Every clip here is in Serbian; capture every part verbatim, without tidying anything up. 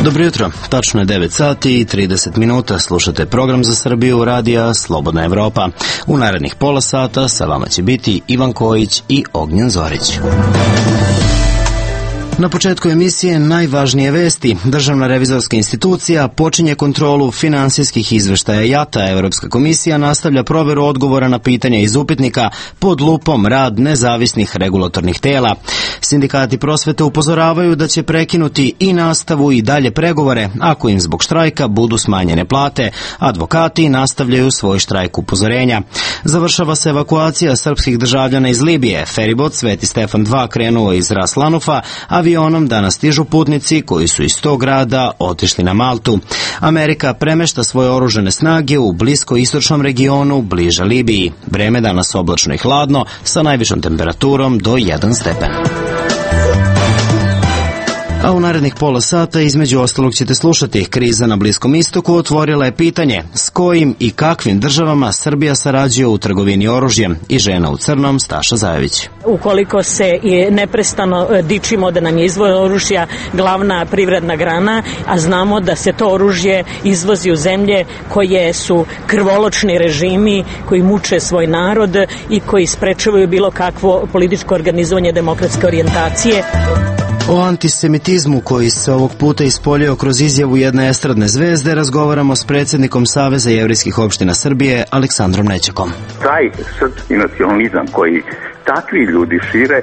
Dobro jutro, tačno je devet sati i trideset minuta, slušate program za Srbiju radija Slobodna Evropa. U narednih pola sata sa vama će biti Ivan Kojić i Ognjen Zorić. Na početku emisije najvažnije vesti. Državna revizorska institucija počinje kontrolu finansijskih izveštaja JATA. Evropska komisija nastavlja proveru odgovora na pitanja iz upitnika pod lupom rad nezavisnih regulatornih tela. Sindikati prosvete upozoravaju da će prekinuti i nastavu i dalje pregovore ako im zbog štrajka budu smanjene plate. Advokati nastavljaju svoj štrajk upozorenja. Završava se evakuacija srpskih državljana iz Libije. Feribot Sveti Stefan dva krenuo iz Ras Lanufa, avionom danas stižu putnici koji su iz tog grada otišli na Maltu. Amerika premešta svoje oružane snage u bliskoistočnom regionu bliže Libiji. Vreme danas oblačno i hladno sa najvišom temperaturom do jedan stepen. A u narednih pola sata između ostalog ćete slušati: kriza na Bliskom istoku otvorila je pitanje s kojim i kakvim državama Srbija sarađuje u trgovini oružjem, i žena u crnom Staša Zajević. Ukoliko se neprestano dičimo da nam je izvoz oružja glavna privredna grana, a znamo da se to oružje izvozi u zemlje koje su krvoločni režimi, koji muče svoj narod i koji sprečavaju bilo kakvo političko organizovanje demokratske orijentacije. O antisemitizmu koji se ovog puta ispoljio kroz izjavu jedne estradne zvezde razgovaramo s predsjednikom Saveza jevrejskih opština Srbije Aleksandrom Nećakom. Taj srpski nacionalizam koji takvi ljudi šire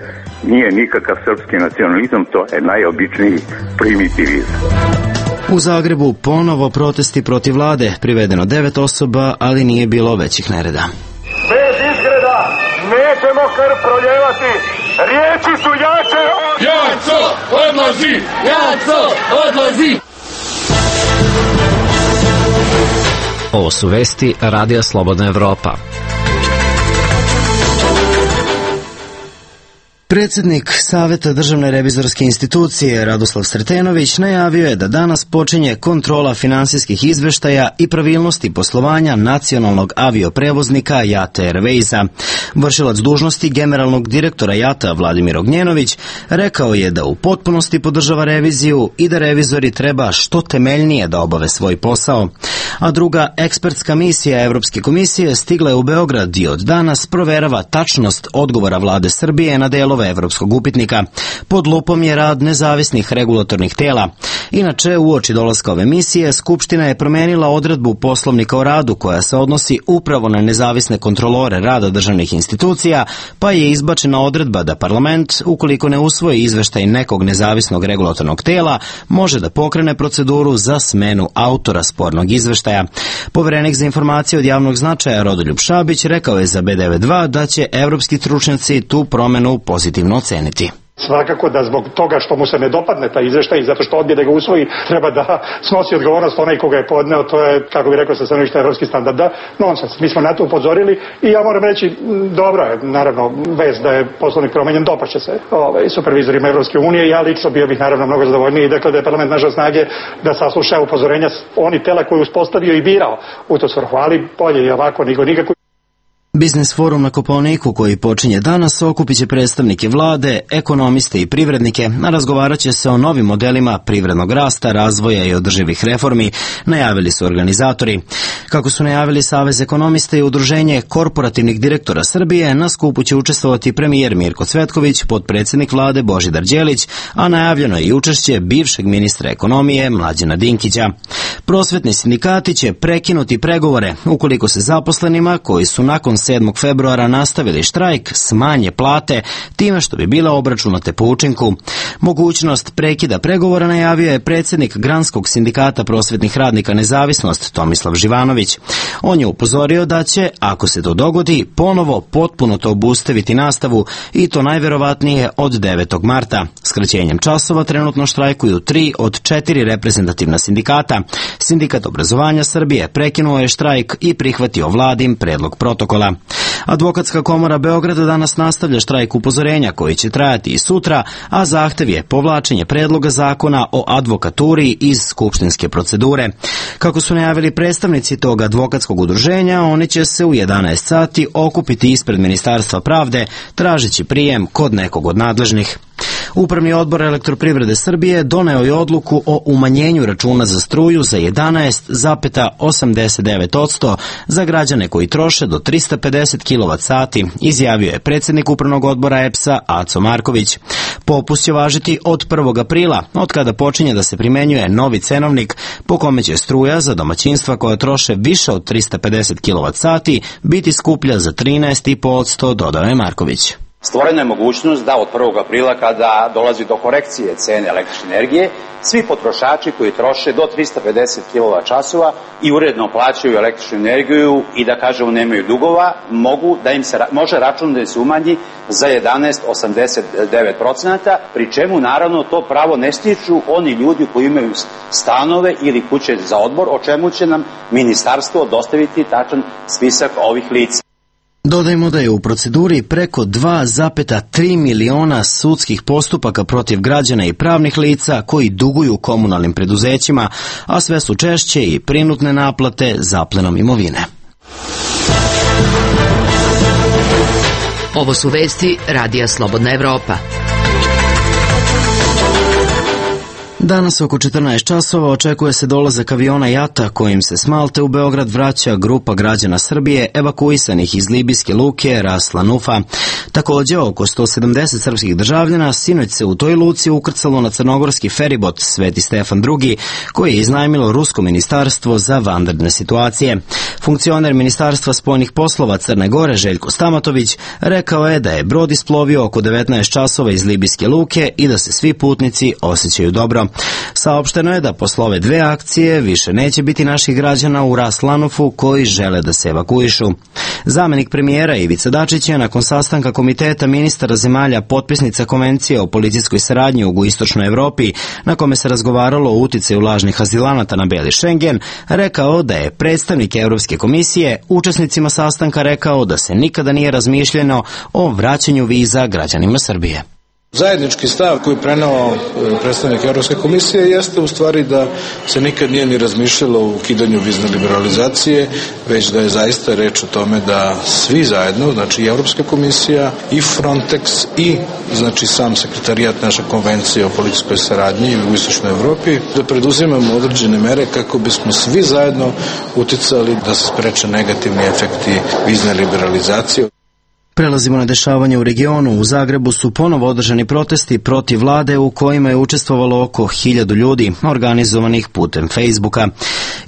nije nikakav srpski nacionalizam, to je najobičniji primitivizam. U Zagrebu ponovo protesti protiv vlade, privedeno devet osoba, ali nije bilo većih nereda. Bez izgreda nećemo krv proljevati, riječi su jače od... Jaco, odlazi! Jaco, odlazi! Ovo su vesti Radija Slobodna Evropa. Predsjednik Saveta Državne revizorske institucije Radoslav Sretenović najavio je da danas počinje kontrola finansijskih izveštaja i pravilnosti poslovanja nacionalnog avioprevoznika JATA Airwaysa. Vršilac dužnosti generalnog direktora JATA Vladimir Ognjenović rekao je da u potpunosti podržava reviziju i da revizori treba što temeljnije da obave svoj posao. A druga ekspertska misija Evropske komisije stigla je u Beograd i od danas proverava tačnost odgovora vlade Srbije na delove evropskog upitnika. Pod lupom je rad nezavisnih regulatornih tela. Inače, uoči dolaska ove misije, Skupština je promenila odredbu Poslovnika o radu koja se odnosi upravo na nezavisne kontrolore rada državnih institucija, pa je izbačena odredba da parlament, ukoliko ne usvoji izveštaj nekog nezavisnog regulatornog tela, može da pokrene proceduru za smenu autora spornog izveštaja. Poverenik za informacije od javnog značaja Rodoljub Šabić rekao je za B devet dva da će evropski stručnjaci tu promenu pozitivno oceniti. Svakako da zbog toga što mu se ne dopadne taj izveštaj i zato što odbije da ga usvoji, treba da snosi odgovornost onaj koga je podneo. To je, kako bi rekao, sa stanovišta evropskih standarda nonsens. Mi smo na to upozorili i ja moram reći, dobro je, naravno, vez da je poslovnik promenjen, dopašće se ovaj, supervizorima Evropske unije. Ja lično bio bih naravno mnogo zadovoljniji i dakle da je parlament našao snage da sasluša upozorenja oni tela koje je uspostavio i birao u to svrhu, ali bolje i ovako nego nikako. Biznis forum na Kopaoniku koji počinje danas okupit će predstavnike vlade, ekonomiste i privrednike, a razgovarat će se o novim modelima privrednog rasta, razvoja i održivih reformi, najavili su organizatori. Kako su najavili Savez ekonomista i Udruženje korporativnih direktora Srbije, na skupu će učestvovati premijer Mirko Cvetković, potpredsjednik vlade Božidar Đelić, a najavljeno je i učešće bivšeg ministra ekonomije Mlađana Dinkića. Prosvetni sindikati će prekinuti pregovore ukoliko se zaposlenima koji su nakon sedmog februara nastavili štrajk smanje plate time što bi bile obračunate po učinku. Mogućnost prekida pregovora najavio je predsjednik Granskog sindikata prosvetnih radnika Nezavisnost Tomislav Živanović. On je upozorio da će, ako se to dogodi, ponovo potpuno to obustaviti nastavu i to najverovatnije od devetog marta. Skraćenjem časova trenutno štrajkuju tri od četiri reprezentativna sindikata. Sindikat obrazovanja Srbije prekinuo je štrajk i prihvatio vladin predlog protokola. Advokatska komora Beograda danas nastavlja štrajk upozorenja koji će trajati i sutra, a zahtev je povlačenje predloga zakona o advokaturi iz skupštinske procedure. Kako su najavili predstavnici tog advokatskog udruženja, oni će se u jedanaest sati okupiti ispred Ministarstva pravde tražeći prijem kod nekog od nadležnih. Upravni odbor Elektroprivrede Srbije doneo je odluku o umanjenju računa za struju za jedanaest zarez osamdeset devet posto za građane koji troše do trista pedeset kilovat sati, izjavio je predsjednik Upravnog odbora E P S-a Aco Marković. Popust će važiti od prvog aprila, od kada počinje da se primenjuje novi cenovnik po kome će struja za domaćinstva koja troše više od trista pedeset kilovat sati biti skuplja za trinaest zarez pet posto, dodao je Marković. Stvorena je mogućnost da od prvog aprila, kada dolazi do korekcije cene električne energije, svi potrošači koji troše do trista pedeset kilovat časova i uredno plaćaju električnu energiju i da kažemo nemaju dugova, mogu da im se, može račun da im se umanji za jedanaest zarez osamdeset devet posto, pri čemu naravno to pravo ne stiču oni ljudi koji imaju stanove ili kuće za odmor, o čemu će nam ministarstvo dostaviti tačan spisak ovih lica. Dodajmo da je u proceduri preko dva zarez tri miliona sudskih postupaka protiv građana i pravnih lica koji duguju komunalnim preduzećima, a sve su češće i prinudne naplate zaplenom imovine. Ovo su vesti Radija Slobodna Evropa. Danas oko četrnaest časova očekuje se dolazak aviona Jata kojim se s Malte u Beograd vraća grupa građana Srbije evakuisanih iz libijske luke Ras Lanufa. Također, oko sto sedamdeset srpskih državljana sinoć se u toj luci ukrcalo na crnogorski feribot Sveti Stefan drugi, koji je iznajmilo Rusko ministarstvo za vanredne situacije. Funkcioner Ministarstva spoljnih poslova Crne Gore Željko Stamatović rekao je da je brod isplovio oko devetnaest časova iz libijske luke i da se svi putnici osjećaju dobro. Saopšteno je da posle ove dve akcije više neće biti naših građana u Ras Lanufu koji žele da se evakuišu. Zamenik premijera Ivica Dačić je nakon sastanka Komiteta ministara zemalja potpisnica Konvencije o policijskoj saradnji u jugoistočnoj Evropi, na kome se razgovaralo o uticaju lažnih azilanata na beli Schengen, rekao da je predstavnik Evropske komisije učesnicima sastanka rekao da se nikada nije razmišljeno o vraćanju viza građanima Srbije. Zajednički stav koji je preneo predstavnik Evropske komisije jeste u stvari da se nikad nije ni razmišljalo o ukidanju vizne liberalizacije, već da je zaista reč o tome da svi zajedno, znači i Evropska komisija, i Frontex, i znači sam sekretarijat naše konvencije o policijskoj saradnji u istočnoj Evropi, da preduzimamo određene mere kako bismo svi zajedno uticali da se spreče negativni efekti vizne liberalizacije. Prelazimo na dešavanje u regionu. U Zagrebu su ponovo održani protesti protiv vlade u kojima je učestvovalo oko hiljadu ljudi, organizovanih putem Facebooka.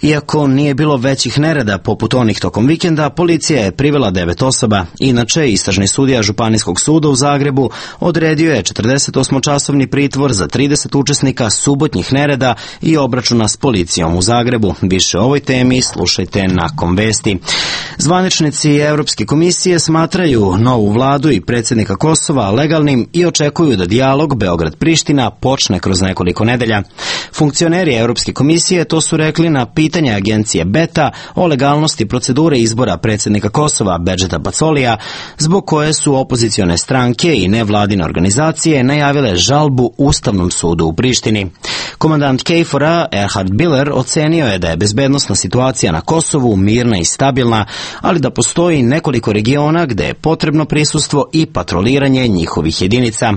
Iako nije bilo većih nereda poput onih tokom vikenda, policija je privela devet osoba. Inače, istražni sudija Županijskog suda u Zagrebu odredio je četrdesetosmočasovni pritvor za trideset učesnika subotnjih nereda i obračuna s policijom u Zagrebu. Više o ovoj temi slušajte nakon vesti. Zvaničnici Evropske komisije smatraju novu vladu i predsjednika Kosova legalnim i očekuju da dijalog Beograd-Priština počne kroz nekoliko nedelja. Funkcioneri Evropske komisije to su rekli na pitanje agencije Beta o legalnosti procedure izbora predsjednika Kosova Bedžeta Pacolija, zbog koje su opozicione stranke i nevladine organizacije najavile žalbu Ustavnom sudu u Prištini. Komandant Kejfora Erhard Biller ocenio je da je bezbednosna situacija na Kosovu mirna i stabilna, ali da postoji nekoliko regiona gde je potrebno prisustvo i patroliranje njihovih jedinica.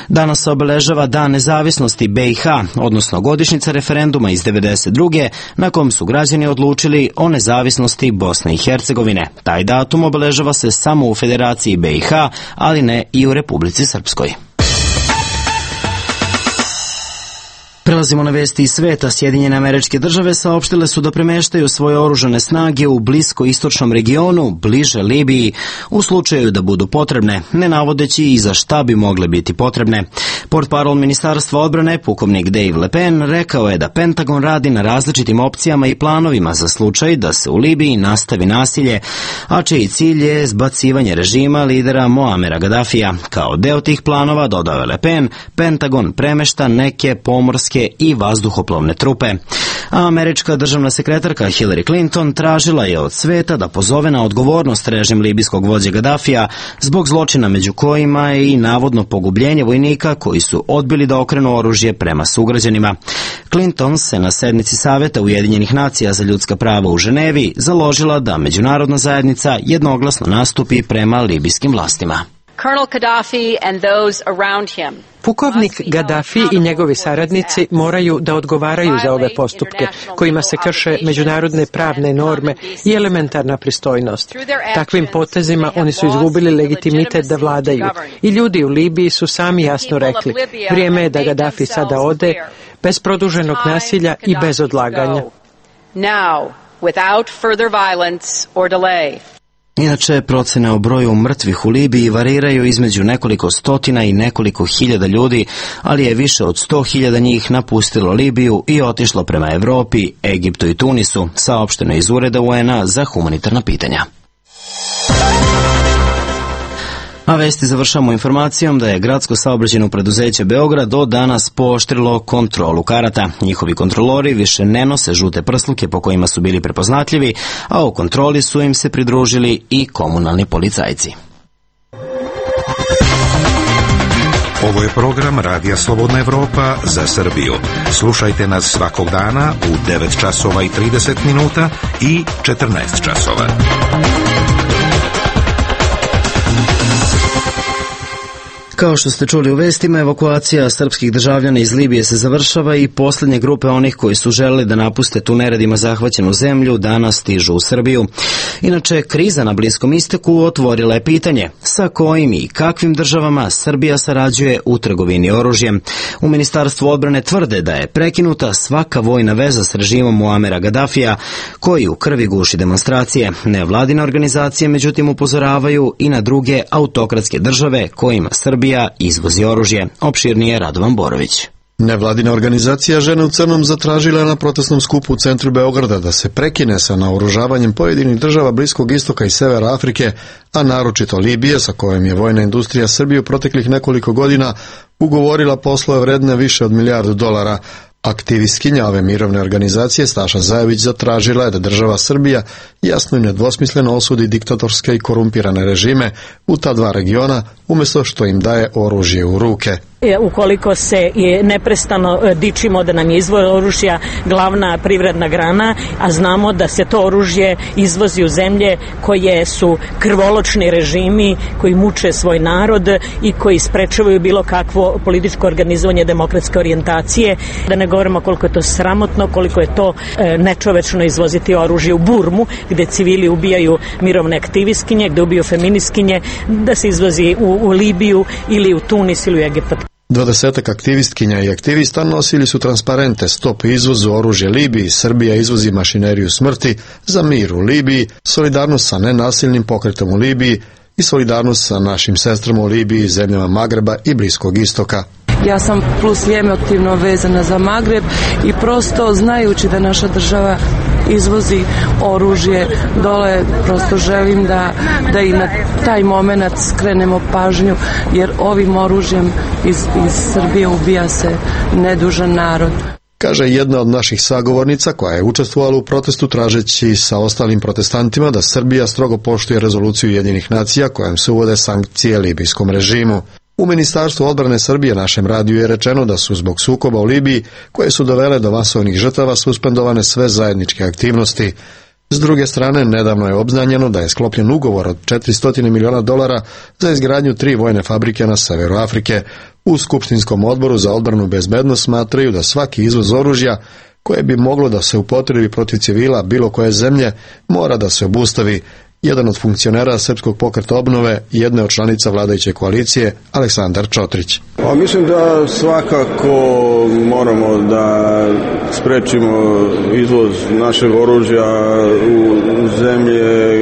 Danas se obeležava Dan nezavisnosti B i H, odnosno godišnjica referenduma iz devedeset druge na kom su građani odlučili o nezavisnosti Bosne i Hercegovine. Taj datum obeležava se samo u Federaciji B i H, ali ne i u Republici Srpskoj. Prelazimo na vesti iz sveta. Sjedinjene Američke Države saopštile su da premeštaju svoje oružane snage u blisko-istočnom regionu, bliže Libiji, u slučaju da budu potrebne, ne navodeći i za šta bi mogle biti potrebne. Portparol Ministarstva odbrane, pukovnik Dave Le Pen, rekao je da Pentagon radi na različitim opcijama i planovima za slučaj da se u Libiji nastavi nasilje, a čiji cilj je zbacivanje režima lidera Moamera Gaddafija. Kao deo tih planova, dodao je Le Pen, Pentagon premešta neke pomorske i vazduhoplovne trupe. A američka državna sekretarka Hillary Clinton tražila je od sveta da pozove na odgovornost režim libijskog vođe Gaddafija zbog zločina među kojima je i navodno pogubljenje vojnika koji su odbili da okrenu oružje prema sugrađanima. Clinton se na sednici Saveta Ujedinjenih nacija za ljudska prava u Ženevi založila da međunarodna zajednica jednoglasno nastupi prema libijskim vlastima. Colonel Gaddafi and those around him. Pukovnik Gaddafi i njegovi saradnici moraju da odgovaraju za ove postupke kojima se krše međunarodne pravne norme i elementarna pristojnost. Takvim potezima oni su izgubili legitimitet da vladaju i ljudi u Libiji su sami jasno rekli: vrijeme je da Gaddafi sada ode, bez produženog nasilja i bez odlaganja. Now, without further violence or delay. Inače, procene o broju mrtvih u Libiji variraju između nekoliko stotina i nekoliko hiljada ljudi, ali je više od sto hiljada njih napustilo Libiju i otišlo prema Evropi, Egiptu i Tunisu, saopšteno iz Ureda U N A za humanitarna pitanja. A vesti završamo informacijom da je gradsko saobraćajno preduzeće Beograd do danas pooštrilo kontrolu karata. Njihovi kontrolori više ne nose žute prsluke po kojima su bili prepoznatljivi, a u kontroli su im se pridružili i komunalni policajci. Ovo je program Radija Slobodna Evropa za Srbiju. Slušajte nas svakog dana u devet časova i trideset minuta i četrnaest časova. Kao što ste čuli u vestima, evakuacija srpskih državljana iz Libije se završava i posljednje grupe onih koji su želeli da napuste tu neredima zahvaćenu zemlju danas stižu u Srbiju. Inače, kriza na Bliskom istoku otvorila je pitanje sa kojim i kakvim državama Srbija sarađuje u trgovini oružjem. U Ministarstvu odbrane tvrde da je prekinuta svaka vojna veza s režimom Muamera Gaddafija, koji u krvi guši demonstracije. Nevladine organizacije međutim upozoravaju i na druge autokratske države kojima Srbija izvozi oružje. Opširnije Radovan Borović. Nevladina organizacija Žene u crnom zatražila na protestnom skupu u centru Beograda da se prekine sa naoružavanjem pojedinih država Bliskog istoka i Severa Afrike, a naročito Libije, sa kojom je vojna industrija Srbije u proteklih nekoliko godina ugovorila poslove vredne više od milijardu dolara. Aktivistkinja ove mirovne organizacije Staša Zajević zatražila je da država Srbija jasno i nedvosmisleno osudi diktatorske i korumpirane režime u ta dva regiona, umjesto što im daje oružje u ruke. Ukoliko se neprestano dičimo da nam je izvoz oružja glavna privredna grana, a znamo da se to oružje izvozi u zemlje koje su krvoločni režimi, koji muče svoj narod i koji sprečavaju bilo kakvo političko organizovanje demokratske orijentacije, da ne govorimo koliko je to sramotno, koliko je to nečovečno izvoziti oružje u Burmu, gde civili ubijaju mirovne aktivistkinje, gde ubiju feministkinje, da se izvozi u, u Libiju ili u Tunis ili u Egipat. Dvadesetak aktivistkinja i aktivista nosili su transparente Stop izvozu oružja Libiji, Srbija izvozi mašineriju smrti, za mir u Libiji, solidarnost sa nenasilnim pokretom u Libiji i solidarnost sa našim sestrama u Libiji, zemljama Magreba i Bliskog istoka. Ja sam plus emotivno vezana za Magreb i prosto znajući da naša država izvozi oružje dole, prosto želim da, da i na taj moment skrenemo pažnju, jer ovim oružjem iz, iz Srbije ubija se nedužan narod. Kaže jedna od naših sagovornica koja je učestvovala u protestu tražeći sa ostalim protestantima da Srbija strogo poštuje rezoluciju Ujedinjenih nacija kojom se uvode sankcije libijskom režimu. U Ministarstvu odbrane Srbije našem radiju je rečeno da su zbog sukoba u Libiji, koje su dovele do masovnih žrtava, suspendovane sve zajedničke aktivnosti. S druge strane, nedavno je obznanjeno da je sklopljen ugovor od četiristo miliona dolara za izgradnju tri vojne fabrike na severu Afrike. U Skupštinskom odboru za odbranu i bezbednost smatraju da svaki izvoz oružja koje bi moglo da se upotrebi protiv civila bilo koje zemlje mora da se obustavi. Jedan od funkcionera Srpskog pokreta obnove i jedne od članica vladajuće koalicije, Aleksandar Čotrić. A mislim da svakako moramo da sprečimo izvoz našeg oružja u zemlje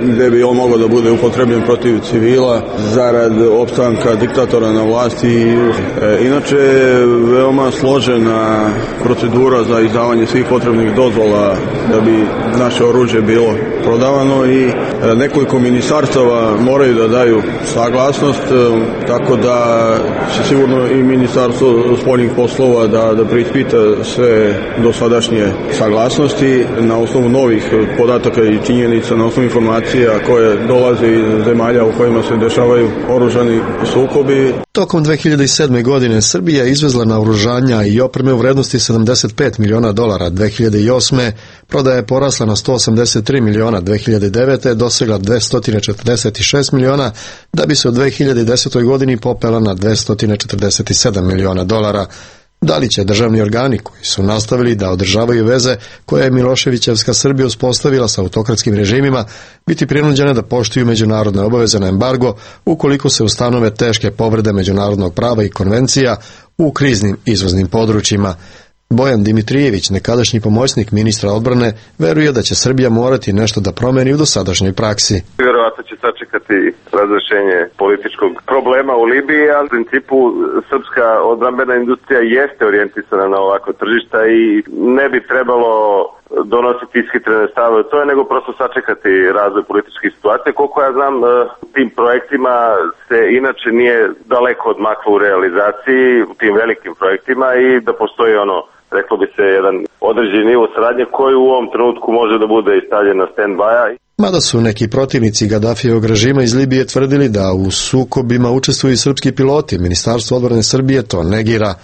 gde bi on mogao da bude upotrebljen protiv civila zarad opstanka diktatora na vlasti. E, inače je veoma složena procedura za izdavanje svih potrebnih dozvola da bi naše oružje bilo prodavano i nekoliko ministarstava moraju da daju saglasnost, tako da će sigurno i ministarstvo spoljnih poslova da, da preispita sve dosadašnje saglasnosti, na osnovu novih podataka i činjenica, na osnovu informacija koje dolaze iz zemalja u kojima se dešavaju oružani sukobi. Tokom dve hiljade sedme. godine Srbija je izvezla naoružanja i opreme u vrednosti sedamdeset pet miliona dolara. dve hiljade osme. prodaja je porasla na sto osamdeset tri miliona, dve hiljade devete. dosegla dvesta četrdeset šest miliona, da bi se u dve hiljade desetoj. godini popela na dvesta četrdeset sedam miliona dolara. Da li će državni organi koji su nastavili da održavaju veze koje je Miloševićevska Srbija uspostavila sa autokratskim režimima biti prinuđene da poštuju međunarodne obaveze na embargo ukoliko se ustanove teške povrede međunarodnog prava i konvencija u kriznim izvoznim područjima? Bojan Dimitrijević, nekadašnji pomoćnik ministra odbrane, veruje da će Srbija morati nešto da promeni u dosadašnjoj praksi. Vjerovatno će sačekati razrešenje političkog problema u Libiji, ali u principu srpska odbrambena industrija jeste orijentisana na ovako tržišta i ne bi trebalo donositi ishitrene stavove to je, nego prosto sačekati razvoj političkih situacija. Koliko ja znam, tim projektima se inače nije daleko odmaklo u realizaciji, u tim velikim projektima, i da postoji ono, reklo bi se, jedan određeni nivo saradnje koji u ovom trenutku može da bude i stavljen na stand-by-a. Mada su neki protivnici Gadafijevog režima iz Libije tvrdili da u sukobima učestvuju i srpski piloti, Ministarstvo odbrane Srbije to negira.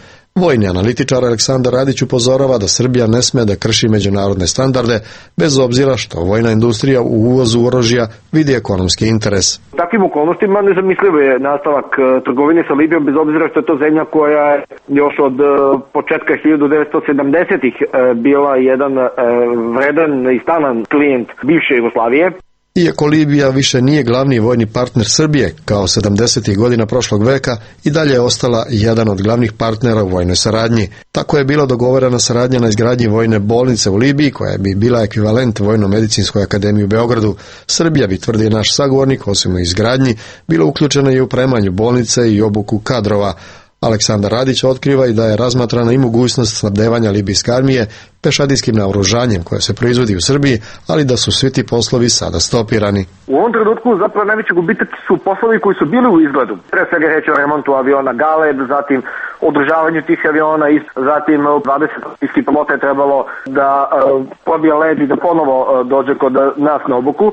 Vojni analitičar Aleksandar Radić upozorava da Srbija ne sme da krši međunarodne standarde, bez obzira što vojna industrija u uvozu oružja vidi ekonomski interes. Takvim okolnostima nezamislivo je nastavak trgovine sa Libijom, bez obzira što je to zemlja koja je još od početka hiljadu devetsto sedamdesetih bila jedan vredan i stalan klijent bivše Jugoslavije. Iako Libija više nije glavni vojni partner Srbije, kao sedamdesetih godina prošlog veka, i dalje je ostala jedan od glavnih partnera u vojnoj saradnji. Tako je bila dogovorena saradnja na izgradnji vojne bolnice u Libiji, koja bi bila ekvivalent Vojno-medicinskoj akademiji u Beogradu. Srbija bi, tvrdi naš sagovornik, osim u izgradnji, bila uključena i u opremanju bolnice i obuku kadrova. Aleksandar Radić otkriva i da je razmatrana i mogućnost snabdevanja libijske armije pešadijskim naoružanjem koje se proizvodi u Srbiji, ali da su svi ti poslovi sada stopirani. U ovom trenutku zapravo najveći gubitak su poslovi koji su bili u izgledu. Pre svega reći o remontu aviona Galeb, zatim održavanju tih aviona i zatim dvadeset iskih pilota je trebalo da uh, probije led i da ponovo uh, dođe kod nas na obuku,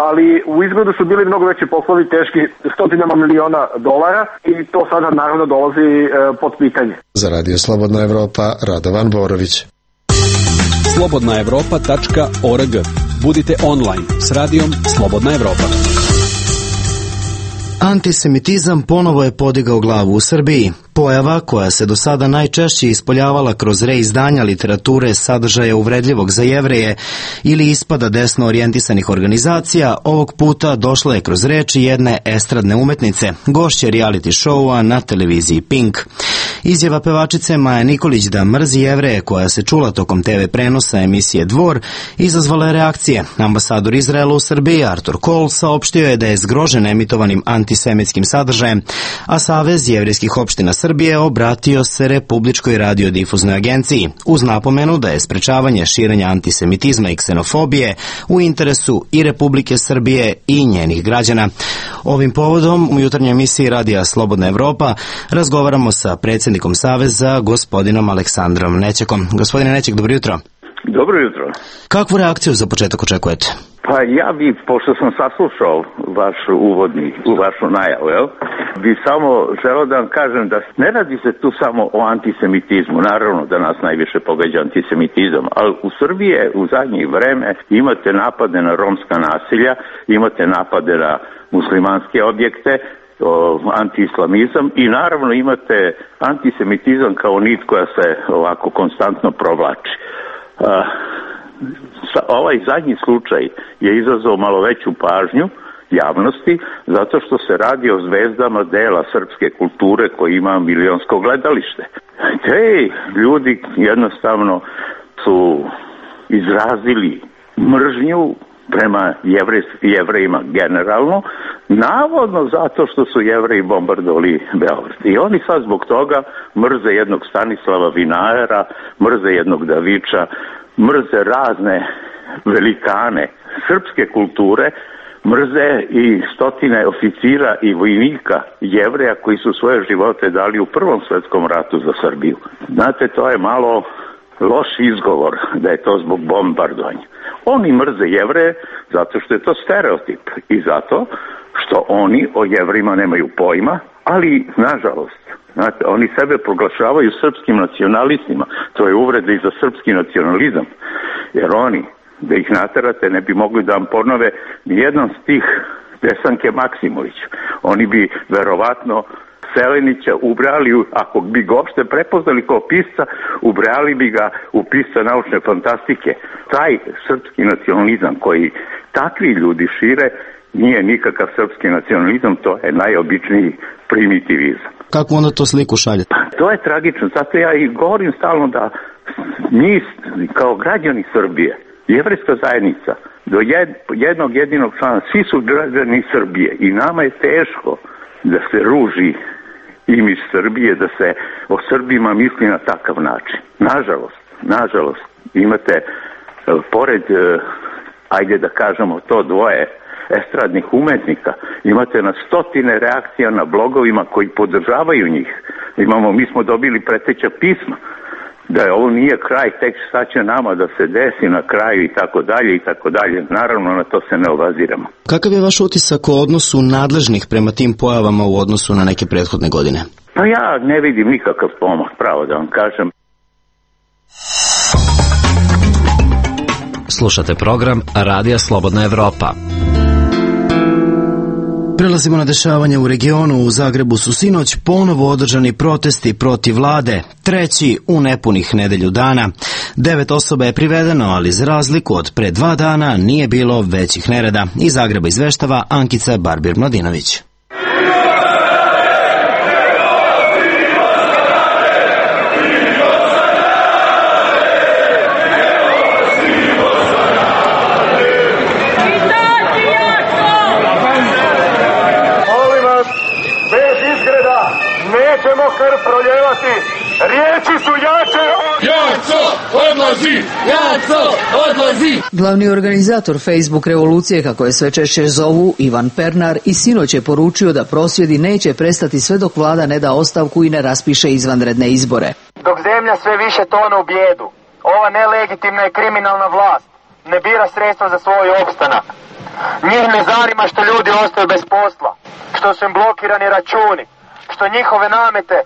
ali u izgledu su bili mnogo veći poslovi teški stotinama miliona dolara i to sada naravno dolazi uh, pod pitanje. Za Radio Slobodna Evropa, Radovan Borović. slobodna evropa tačka org. Budite online s radijom Slobodna Evropa. Antisemitizam ponovo je podigao glavu u Srbiji. Pojava koja se do sada najčešće ispoljavala kroz reizdanja literature sadržaja uvredljivog za Jevreje ili ispada desno orijentisanih organizacija, ovog puta došla je kroz reči jedne estradne umetnice, gošće reality showa na televiziji Pink. Izjava pevačice Maje Nikolić da mrzi Jevreje, koja se čula tokom te ve prenosa emisije Dvor, izazvala je reakcije. Ambasador Izraela u Srbiji Artur Kohl saopštio je da je zgrožen emitovanim antisemitskim sadržajem, a Savez jevrejskih opština Srbije obratio se Republičkoj radiodifuznoj agenciji uz napomenu da je sprečavanje širenja antisemitizma i ksenofobije u interesu i Republike Srbije i njenih građana. Ovim povodom u jutarnjoj emisiji Radija Slobodna Evropa razgovaramo sa predsjednikom Saveza, gospodinom Aleksandrom Nećekom. Gospodine Nećek, dobro jutro. Dobro jutro. Kakvu reakciju za početak očekujete? Pa ja bi, pošto sam saslušao vaš uvodni, vašu najavu, jel, bi samo želeo da vam kažem da ne radi se tu samo o antisemitizmu. Naravno da nas najviše pogađa antisemitizam, ali u Srbiji u zadnje vreme imate napade na romska nasilja, imate napade na muslimanske objekte, antiislamizam i naravno imate antisemitizam kao nit koja se ovako konstantno provlači. Uh, ovaj zadnji slučaj je izazvao malo veću pažnju javnosti zato što se radi o zvezdama dela srpske kulture koji ima milionsko gledalište. Te ljudi jednostavno su izrazili mržnju prema Jevrejima generalno, navodno zato što su Jevreji bombardovali Beograd. I oni sad zbog toga mrze jednog Stanislava Vinajera, mrze jednog Daviča, mrze razne velikane srpske kulture, mrze i stotine oficira i vojnika Jevreja koji su svoje živote dali u Prvom svetskom ratu za Srbiju. Znate, to je malo loš izgovor da je to zbog bombardovanja. Oni mrze Jevreje zato što je to stereotip i zato što oni o Jevrima nemaju pojma, ali nažalost, znate, oni sebe proglašavaju srpskim nacionalistima. To je uvreda i za srpski nacionalizam, jer oni, da ih naterate, ne bi mogli da vam ponove nijedan stih Desanke Maksimović. Oni bi verovatno Selenića ubrali, ako bi ga uopšte prepoznali kao pisca, ubrali bi ga u pisca naučne fantastike. Taj srpski nacionalizam koji takvi ljudi šire nije nikakav srpski nacionalizam, to je najobičniji primitivizam. Kako onda to sliku šalje? To je tragično, zato ja i govorim stalno da mi kao građani Srbije, jevrejska zajednica, do jednog jedinog člana, svi su građani Srbije i nama je teško da se ruži imidž Srbije, da se o Srbima misli na takav način. Nažalost, nažalost, imate, pored, ajde da kažemo to dvoje estradnih umetnika, imate na stotine reakcija na blogovima koji podržavaju njih. Imamo, mi smo dobili preteća pisma da je ovo nije kraj, tek šta će nama da se desi na kraju i tako dalje i tako dalje. Naravno, na to se ne obaziramo. Kakav je vaš utisak o odnosu nadležnih prema tim pojavama u odnosu na neke prethodne godine? Pa ja ne vidim nikakav pomak, pravo da vam kažem. Slušate program Radija Slobodna Evropa. Prelazimo na dešavanje u regionu. U Zagrebu su sinoć ponovo održani protesti protiv vlade, treći u nepunih nedelju dana. Devet osoba je privedeno, ali za razliku od pre dva dana nije bilo većih nereda. Iz Zagreba izveštava Ankica Barbir-Mladinović. Nećemo krv proljevati, riječi su jače od... Jaco, odlazi! Jaco, odlazi! Glavni organizator Facebook revolucije, kako je sve češće zovu, Ivan Pernar, i sinoć je poručio da prosvjedi neće prestati sve dok vlada ne da ostavku i ne raspiše izvanredne izbore. Dok zemlja sve više tone u bijedu, ova nelegitimna i kriminalna vlast ne bira sredstva za svoj opstanak. Njih ne zanima što ljudi ostaju bez posla, što su im blokirani računi, što njihove namete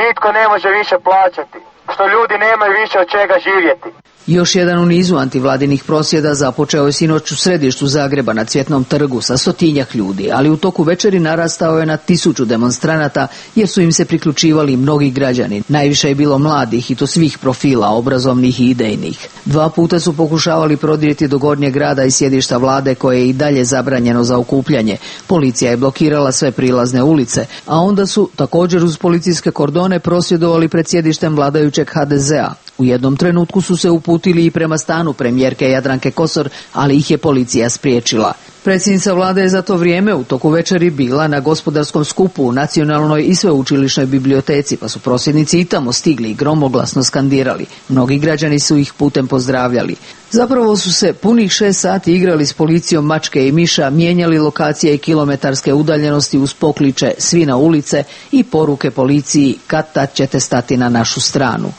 nitko ne može više plaćati, što ljudi nemaju više od čega živjeti. Još jedan u nizu antivladinih prosvjeda započeo je sinoć u središtu Zagreba na Cvjetnom trgu sa stotinjak ljudi, ali u toku večeri narastao je na tisuću demonstranata jer su im se priključivali mnogi građani. Najviše je bilo mladih i to svih profila, obrazovnih i idejnih. Dva puta su pokušavali prodrijeti do Gornjeg grada i sjedišta vlade koje je i dalje zabranjeno za okupljanje. Policija je blokirala sve prilazne ulice, a onda su također uz policijske kordone prosvjedovali pred sjedištem vladajućeg ha de zea. U jednom trenutku su se uputili i prema stanu premijerke Jadranke Kosor, ali ih je policija spriječila. Predsjednica vlade je za to vrijeme u toku večeri bila na gospodarskom skupu u Nacionalnoj i sveučilišnoj biblioteci, pa su prosvjednici i tamo stigli i gromoglasno skandirali. Mnogi građani su ih putem pozdravljali. Zapravo su se punih šest sati igrali s policijom mačke i miša, mijenjali lokacije i kilometarske udaljenosti uz pokliče "svi na ulice" i poruke policiji "kad-tad ćete stati na našu stranu".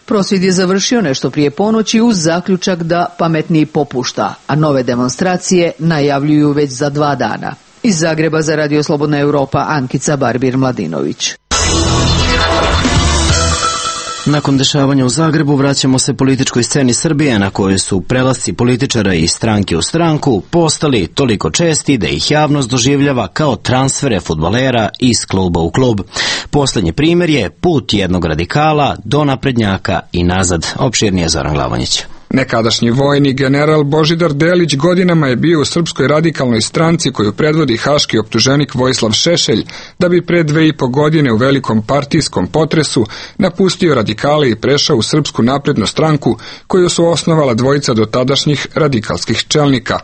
Prosvjed je završio nešto prije ponoći uz zaključak da pametniji popušta, a nove demonstracije najavljuju već za dva dana. Iz Zagreba za Radio Slobodna Evropa, Ankica Barbir-Mladinović. Nakon dešavanja u Zagrebu vraćamo se političkoj sceni Srbije na kojoj su prelasci političara iz stranke u stranku postali toliko česti da ih javnost doživljava kao transfere fudbalera iz kluba u klub. Poslednji primjer je put jednog radikala do naprednjaka i nazad. Opširnije Zoran Glavonjić. Nekadašnji vojni general Božidar Delić godinama je bio u Srpskoj radikalnoj stranci koju predvodi haški optuženik Vojislav Šešelj, da bi pre dve i po godine u velikom partijskom potresu napustio radikale i prešao u Srpsku naprednu stranku koju su osnovala dvojica dotadašnjih radikalskih čelnika.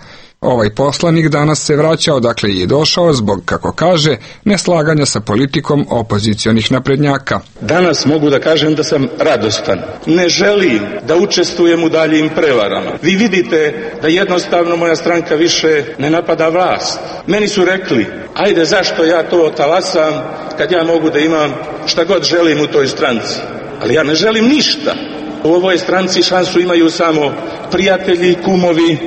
Ovaj poslanik danas se vraća odakle je došao zbog, kako kaže, neslaganja sa politikom opozicionih naprednjaka. Danas mogu da kažem da sam radostan. Ne želim da učestvujem u daljim prevarama. Vi vidite da jednostavno moja stranka više ne napada vlast. Meni su rekli, ajde zašto ja to talasam kad ja mogu da imam šta god želim u toj stranci. Ali ja ne želim ništa. U ovoj stranci šansu imaju samo prijatelji, kumovi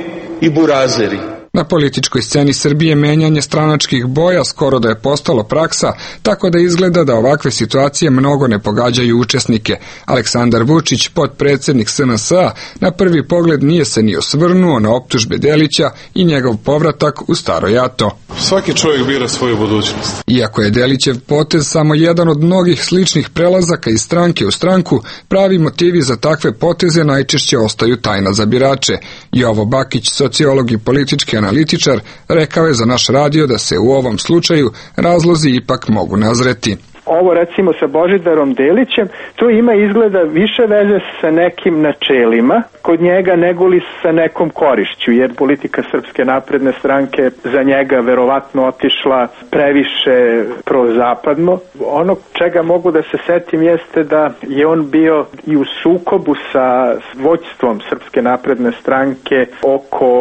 i burazeri. Na političkoj sceni Srbije menjanje stranačkih boja skoro da je postalo praksa, tako da izgleda da ovakve situacije mnogo ne pogađaju učesnike. Aleksandar Vučić, potpredsjednik S N S-a, na prvi pogled nije se ni osvrnuo na optužbe Delića i njegov povratak u staro jato. Svaki čovjek bira svoju budućnost. Iako je Delićev potez samo jedan od mnogih sličnih prelazaka iz stranke u stranku, pravi motivi za takve poteze najčešće ostaju tajna za birače. Jovo Bakić, sociolog i politički analitičar, rekao je za naš radio da se u ovom slučaju razlozi ipak mogu nazreti. Ovo recimo sa Božidarom Delićem, to ima izgleda više veze sa nekim načelima kod njega nego li sa nekom korišću, jer politika Srpske napredne stranke za njega verovatno otišla previše prozapadno. Ono čega mogu da se setim jeste da je on bio i u sukobu sa vođstvom Srpske napredne stranke oko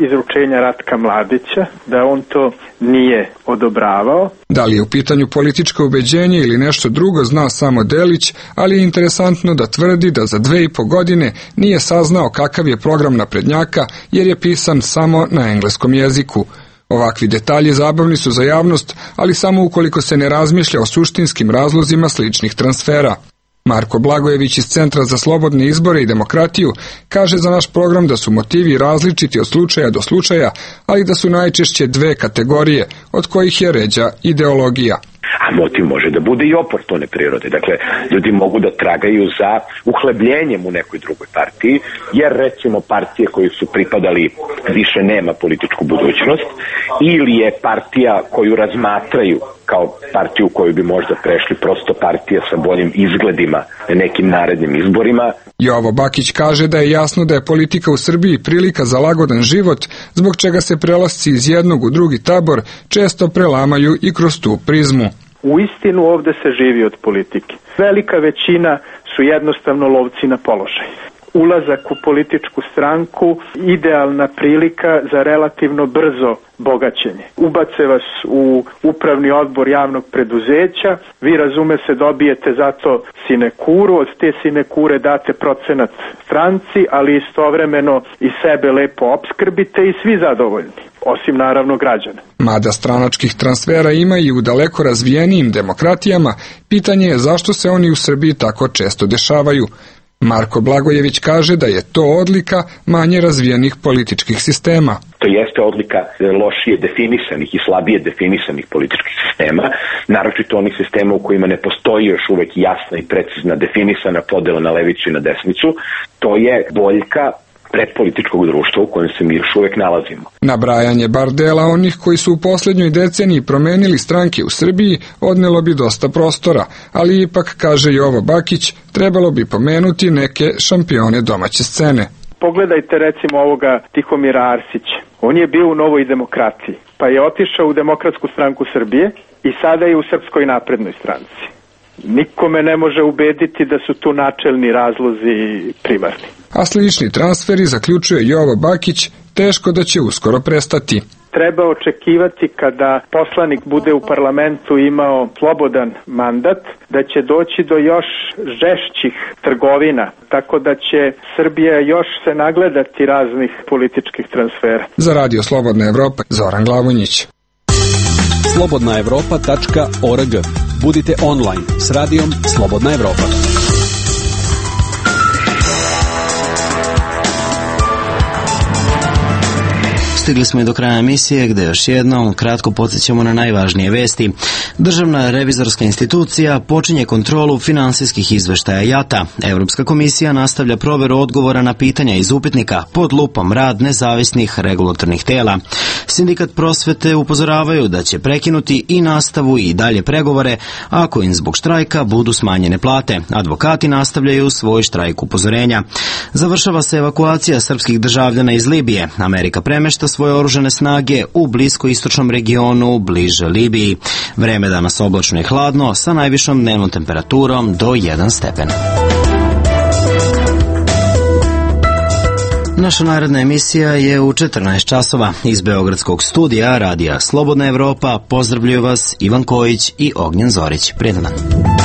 izručenja Ratka Mladića, da on to nije odobravao. Da li je u pitanju političko ubeđenje ili nešto drugo zna samo Delić, ali je interesantno da tvrdi da za dve i po godine nije saznao kakav je program naprednjaka jer je pisan samo na engleskom jeziku. Ovakvi detalji zabavni su za javnost, ali samo ukoliko se ne razmišlja o suštinskim razlozima sličnih transfera. Marko Blagojević iz Centra za slobodne izbore i demokratiju kaže za naš program da su motivi različiti od slučaja do slučaja, ali da su najčešće dve kategorije, od kojih je ređa ideologija. A motiv može da bude i oportune prirode. Dakle, ljudi mogu da tragaju za uhlebljenjem u nekoj drugoj partiji, jer recimo partije koje su pripadali više nema političku budućnost, ili je partija koju razmatraju kao partiju koju bi možda prešli prosto partija sa boljim izgledima na nekim narednim izborima. Jovo Bakić kaže da je jasno da je politika u Srbiji prilika za lagodan život, zbog čega se prelasci iz jednog u drugi tabor često prelamaju i kroz tu prizmu. U istinu ovde se živi od politike. Velika većina su jednostavno lovci na položaj. Ulazak u političku stranku idealna prilika za relativno brzo bogaćenje. Ubace vas u upravni odbor javnog preduzeća, vi razume se dobijete zato sinekuru, od te sinekure date procenat stranci, ali istovremeno i sebe lepo opskrbite i svi zadovoljni, osim naravno građana. Mada stranačkih transfera ima i u daleko razvijenijim demokratijama, pitanje je zašto se oni u Srbiji tako često dešavaju. Marko Blagojević kaže da je to odlika manje razvijenih političkih sistema. To jeste odlika lošije definisanih i slabije definisanih političkih sistema, naročito onih sistema u kojima ne postoji još uvek jasna i precizna definisana podela na levicu i na desnicu. To je boljka predpolitičkog društva u kojem se mi još uvek nalazimo. Nabrajanje bar dela onih koji su u posljednjoj deceniji promenili stranke u Srbiji odnelo bi dosta prostora, ali ipak, kaže Jovo Bakić, trebalo bi pomenuti neke šampione domaće scene. Pogledajte recimo ovoga Tihomira Arsića. On je bio u Novoj demokratiji, pa je otišao u Demokratsku stranku Srbije i sada je u Srpskoj naprednoj stranci. Nikome ne može ubediti da su tu načelni razlozi primarni. A slični transferi, zaključuje Jovo Bakić, teško da će uskoro prestati. Treba očekivati kada poslanik bude u parlamentu imao slobodan mandat, da će doći do još žešćih trgovina, tako da će Srbija još se nagledati raznih političkih transfera. Za Radio Slobodna Evropa, Zoran Glavonjić. slobodna evropa tačka org. Budite online s radijom Slobodna Evropa. Stigli smo i do kraja emisije gde još jednom kratko podsjećamo na najvažnije vesti. Državna revizorska institucija počinje kontrolu finansijskih izveštaja JAT-a. Evropska komisija nastavlja proveru odgovora na pitanja iz upitnika pod lupom rad nezavisnih regulatornih tela. Sindikat prosvete upozoravaju da će prekinuti i nastavu i dalje pregovore ako im zbog štrajka budu smanjene plate. Advokati nastavljaju svoj štrajk upozorenja. Završava se evakuacija srpskih državljana iz Libije. Amerika premešta svoj svoje oružane snage u bliskoistočnom regionu bliže Libiji. Vreme danas oblačno i hladno sa najvišom dnevnom temperaturom do jedan stepen. Naša naredna emisija je u četrnaest časova. Iz Beogradskog studija Radija Slobodna Evropa pozdravljaju vas Ivan Kojić i Ognjen Zorić. Prijetan dan.